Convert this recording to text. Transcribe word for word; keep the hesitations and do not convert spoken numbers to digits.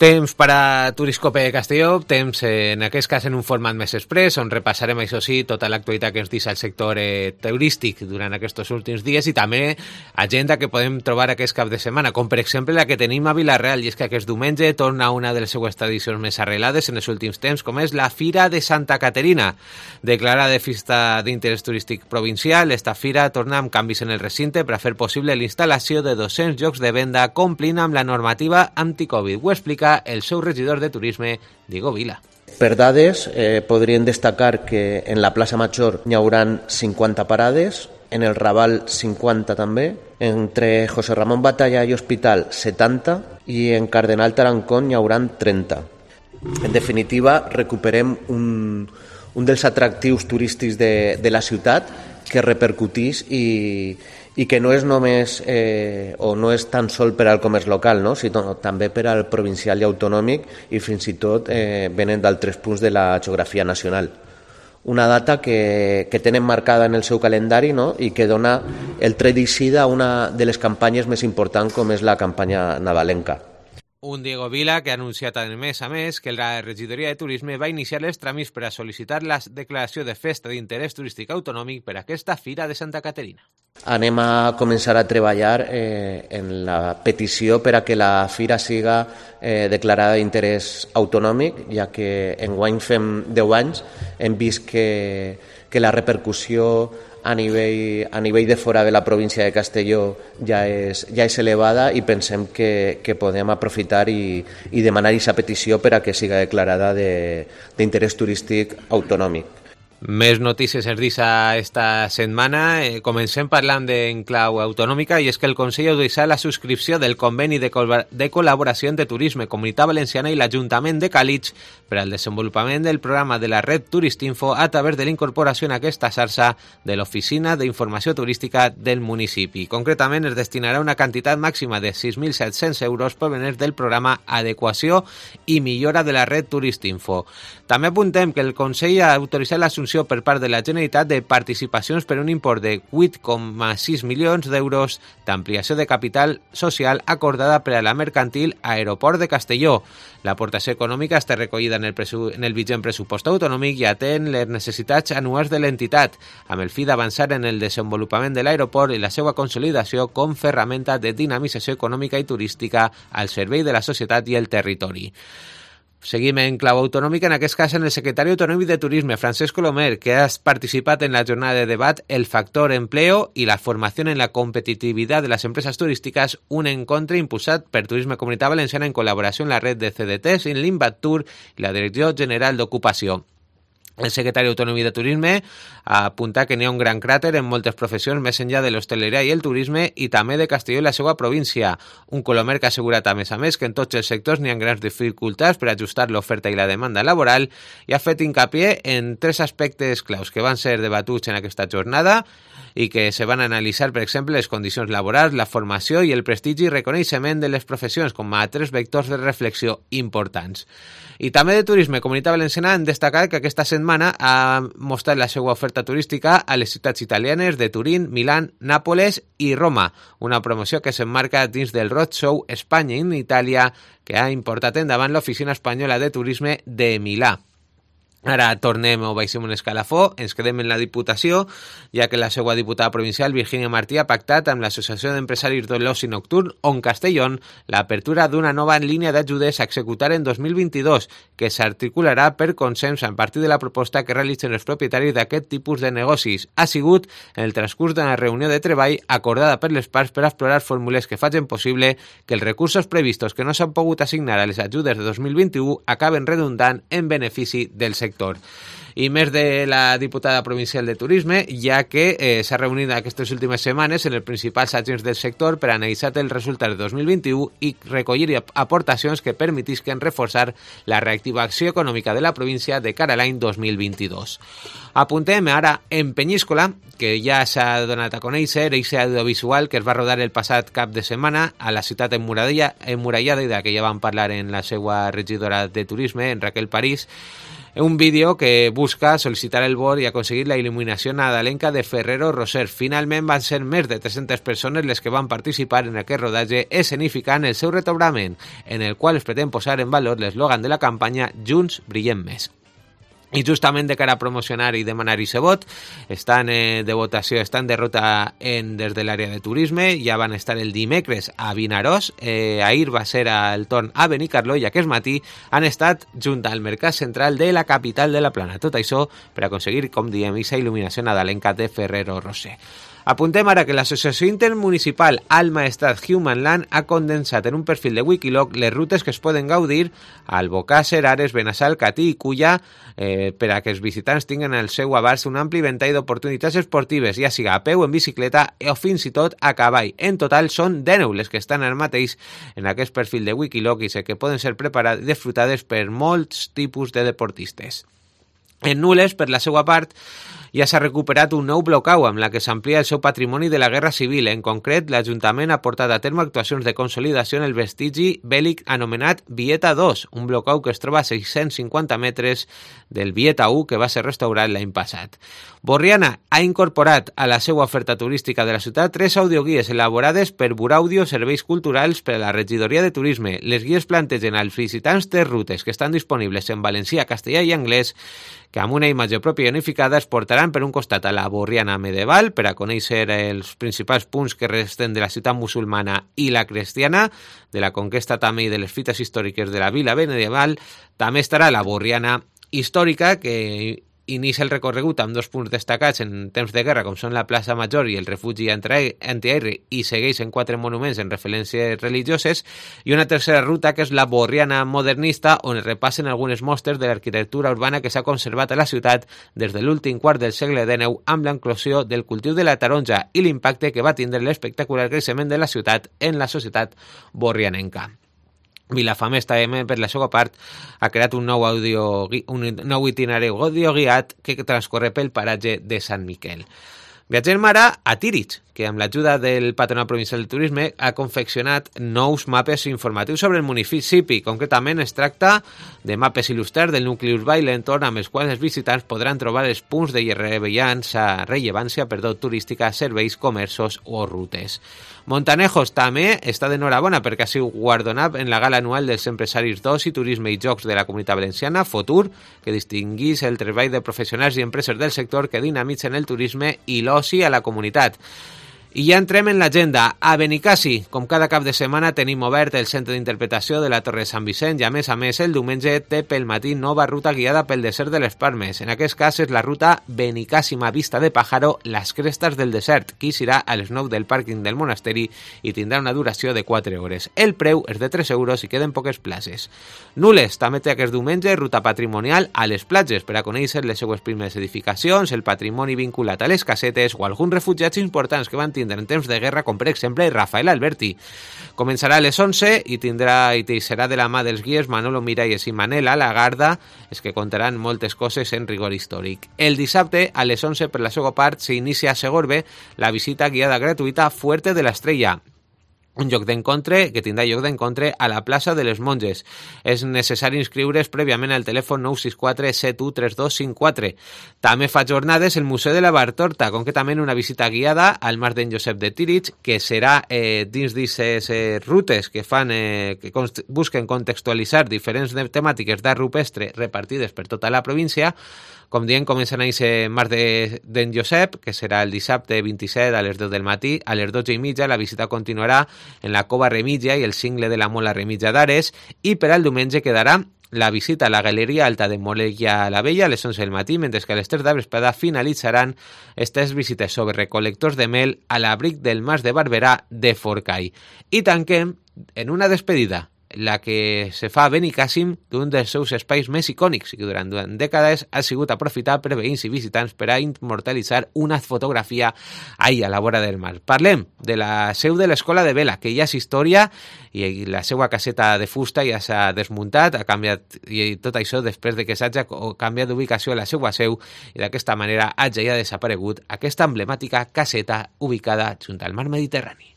Temps per a Turiscope Castelló, temps eh, en aquest cas en un format més express, on repassarem, això sí, tota l'actualitat que ens deixa el sector eh, turístic durant aquests últims dies i també agenda que podem trobar aquest cap de setmana, com per exemple la que tenim a Vila-real, i és que aquest diumenge torna una de les seues tradicions més arrelades en els últims temps, com és la Fira de Santa Caterina. Declarada de festa d'interès turístic provincial, esta fira torna amb canvis en el recinte per a fer possible la instal·lació de dos-cents llocs de venda complint amb la normativa anti-Covid. Ho explica el seu regidor de turisme, Diego Vila. Per dades, eh, podríem destacar que en la plaça Major hi haurà cinquanta parades, en el Raval cinquanta també, entre José Ramón Batalla i Hospital setanta i en Cardenal Tarancón hi haurà trenta. En definitiva, recuperem un, un dels atractius turístics de, de la ciutat que repercutís i, i que no és només eh, o no és tan sol per al comerç local, no? Sinó també per al provincial i autonòmic i fins i tot eh, venen d'altres punts de la geografia nacional. Una data que, que tenen marcada en el seu calendari, no? I que dona el tret d'eixida a una de les campanyes més importants com és la campanya nadalenca. Un Diego Vila que ha anunciat a més a més que la regidoria de turisme va iniciar els tràmits per a sol·licitar la declaració de festa d'interès turístic autonòmic per a aquesta Fira de Santa Caterina. Anem a començar a treballar eh, en la petició per a que la fira siga eh, declarada d'interès autonòmic, ja que enguany fem deu anys, hem vist que, que la repercussió a nivell, a nivell de fora de la província de Castelló ja és, ja és elevada i pensem que, que podem aprofitar i, i demanar aquesta petició per a que siga declarada d'interès turístic autonòmic. Més notícies ens deixa esta setmana. Eh, comencem parlant d'en clau autonòmica i és que el Consell ha deixat la subscripció del conveni de, col de col·laboració entre Turisme, Comunitat Valenciana i l'Ajuntament de Càlig per al desenvolupament del programa de la red Turistinfo a través de la incorporació en aquesta xarxa de l'Oficina d'Informació Turística del municipi. Concretament es destinarà una quantitat màxima de sis mil set-cents euros provenents del programa Adequació i Millora de la red Turistinfo. També apuntem que el Consell ha autoritzat l'assumpció per part de la Generalitat de participacions per un import de vuit coma sis milions d'euros d'ampliació de capital social acordada per a la mercantil Aeroport de Castelló. L'aportació econòmica està recollida en el, en el vigent pressupost autonòmic i atén les necessitats anuals de l'entitat, amb el fi d'avançar en el desenvolupament de l'aeroport i la seva consolidació com ferramenta de dinamització econòmica i turística al servei de la societat i el territori. Seguim en clau autonòmica, en aquest cas en el secretari autonòmic de Turisme, Francesc Colomer, que ha participat en la jornada de debat El factor empleo y la formación en la competitividad de las empresas turísticas, un encontre impulsat per Turisme Comunitat Valenciana en col·laboració amb la red de C D Ts, en l'Invactur i la Direcció General d'Ocupació. El secretari autonòmic de Turisme apunta que n'hi ha un gran cràter en moltes professions més enllà de l'hostaleria i el turisme i també de Castelló i la seva província. Un Colomer que ha assegurat a més a més que en tots els sectors n'hi ha grans dificultats per ajustar l'oferta i la demanda laboral i ha fet hincapié en tres aspectes claus que van ser debatuts en aquesta jornada i que se van analitzar, per exemple, les condicions laborals, la formació i el prestigi i reconeixement de les professions com a tres vectors de reflexió importants. I també de Turisme Comunitat Valenciana han destacat que aquesta setmana ha mostrat la seva oferta turística a les ciutats italianes de Turín, Milán, Nàpoles i Roma, una promoció que s'emmarca dins del Roadshow Espanya en Itàlia que ha importat endavant l'Oficina Espanyola de Turisme de Milà. Ara tornem o baixem un escalafó, ens quedem en la Diputació, ja que la seva diputada provincial, Virginia Martí, ha pactat amb l'Associació d'Empresaris de l'Oci Nocturn, On Castellón, l'apertura d'una nova línia d'ajudes a executar en dos mil vint-i-dos, que s'articularà per consens a partir de la proposta que realitzen els propietaris d'aquest tipus de negocis. Ha sigut en el transcurs d'una reunió de treball acordada per les parts per explorar fórmules que facin possible que els recursos previstos que no s'han pogut assignar a les ajudes de dos mil vint-i-u acaben redundant en benefici del sector. I més de la diputada provincial de Turisme, ja que eh, s'ha reunit aquestes últimes setmanes en els principals agents del sector per analitzar els resultats de dos mil vint-i-u i recollir aportacions que permetisquen reforçar la reactivació econòmica de la província de cara a l'any dos mil vint-i-dos. Apuntem ara en Penyíscola, que ja s'ha donat a conèixer, eixe audiovisual que es va rodar el passat cap de setmana a la ciutat emmurallada i de la que ja vam parlar en la seva regidora de Turisme, en Raquel París, Un vídeo que busca sol·licitar el vot i aconseguir la il·luminació nadalenca de Ferrero Rocher. Finalment van ser més de tres-centes persones les que van participar en aquest rodatge escenificant el seu retobrament, en el qual es pretén posar en valor l'eslògan de la campanya Junts brillem més. I justament de cara a promocionar i demanar aquest vot, estan eh, de votació, estan de ruta en, des de l'àrea de turisme, ja van estar el dimecres a Vinaròs, eh, ahir va ser el torn a Benicarló i aquest matí han estat junt al mercat central de la capital de la Plana. Tot això per aconseguir, com diem, aquesta il·luminació nadalenca de Ferrero Rocher. Apuntem ara que l'Associació Intermunicipal Al Maestrat Human Land ha condensat en un perfil de Wikiloc les rutes que es poden gaudir a Albocàsser, Ares, Benassal, Catí i Culla eh, per a que els visitants tinguin al seu abast un ampli ventall d'oportunitats esportives, ja siga a peu, en bicicleta o fins i tot a cavall. En total són deu les que estan ara mateix en aquest perfil de Wikiloc i sé que poden ser preparades i disfrutades per molts tipus de deportistes. En Nules, per la seva part, ja s'ha recuperat un nou blocau amb la que s'amplia el seu patrimoni de la Guerra Civil. En concret, l'Ajuntament ha portat a terme actuacions de consolidació en el vestigi bèl·lic anomenat Vieta dos, un blocau que es troba a sis-cents cinquanta metres del Vieta u que va ser restaurat l'any passat. Borriana ha incorporat a la seva oferta turística de la ciutat tres audioguies elaborades per Buraudio Serveis Culturals per a la Regidoria de Turisme. Les guies plantegen als visitants tres rutes que estan disponibles en valencià, castellà i anglès, que amb una imatge pròpia i unificada es portaran per un costat a la Borriana medieval per a conèixer els principals punts que resten de la ciutat musulmana i la cristiana, de la conquesta també i de les fites històriques de la vila medieval. També estarà la Borriana històrica, que inicia el recorregut amb dos punts destacats en temps de guerra, com són la plaça Major i el refugi antiaeri, i segueix en quatre monuments en referències religioses, i una tercera ruta que és la Borriana modernista, on es repassen algunes mostres de l'arquitectura urbana que s'ha conservat a la ciutat des de l'últim quart del segle dinou, amb l'enclosió del cultiu de la taronja i l'impacte que va tindre l'espectacular creixement de la ciutat en la societat borrianenca. Vilafamés també, per la seva part, ha creat un nou, audio, un nou itinerari audioguiat que transcorre pel paratge de Sant Miquel. Viatgem ara a Tírig, que amb l'ajuda del Patronat Provincial del Turisme ha confeccionat nous mapes informatius sobre el municipi. Concretament es tracta de mapes il·lustrats del nucli urbà i l'entorn, amb els quals els visitants podran trobar els punts de rellevància, rellevància perdó, turística, serveis, comerços o rutes. Montanejos també està d'enhorabona perquè ha sigut guardonat en la gala anual dels empresaris d'oci, turisme i jocs de la Comunitat Valenciana, Fotur, que distinguís el treball de professionals i empreses del sector que dinamitzen el turisme i l'oci a la comunitat. I ja entrem en l'agenda. A Benicassi, com cada cap de setmana, tenim obert el centre d'interpretació de la Torre de Sant Vicent i, a més a més, el diumenge té pel matí nova ruta guiada pel desert de les Palmes. En aquest cas és la ruta Benicàssima Vista de Pájaro, les crestes del desert, que serà a les nou del pàrquing del monasteri i tindrà una duració de quatre hores. El preu és de tres euros i queden poques places. Nules també té aquest diumenge ruta patrimonial a les platges per a conèixer les seues primeres edificacions, el patrimoni vinculat a les casetes o alguns refugiats importants que van tindre en temps de guerra, com per exemple Rafael Alberti. Començarà a les onze i tindrà i serà de la mà dels guies Manolo Miralles i Manela Lagarda, és que contaran moltes coses en rigor històric. El dissabte, a les onze, per la seva part, s'inicia a Segorbe la visita guiada gratuïta Fuerte de l'Estrella, un lloc d'encontre que tindrà lloc d'encontre a la plaça de les Monges. És necessari inscriure's prèviament al telèfon nou sis quatre set u tres dos cinc quatre. També fa jornades el Museu de la Bartorta, concretament una visita guiada al Mas d'en Josep de Tírig, que serà eh, dins d'aquestes eh, rutes que fan eh, que const- busquen contextualitzar diferents temàtiques d'art rupestre repartides per tota la província. Com diem, comencen a ser Mas de, d'en Josep, que serà el dissabte vint-i-set a les deu del matí. A les dotze i mitja la visita continuarà en la Cova Remígia i el cingle de la Mola Remígia d'Ares, i per al diumenge quedarà la visita a la Galeria Alta de Molella la Vella a les onze del matí, mentre que a les tres de la vesprada finalitzaran aquestes visites sobre recol·lectors de mel a l'abric del Mas de Barberà de Forcall. I tanquem en una despedida, la que se fa a Benicàssim, d'un dels seus espais més icònics i que durant, durant dècades ha sigut aprofitat per veïns i visitants per a immortalitzar una fotografia ahí a la vora del mar. Parlem de la seu de l'Escola de Vela, que ja és història i la seva caseta de fusta ja s'ha desmuntat, ha canviat, i tot això després de que s'hagi canviat d'ubicació a la seva seu i d'aquesta manera hagi ja desaparegut aquesta emblemàtica caseta ubicada junt al mar Mediterrani.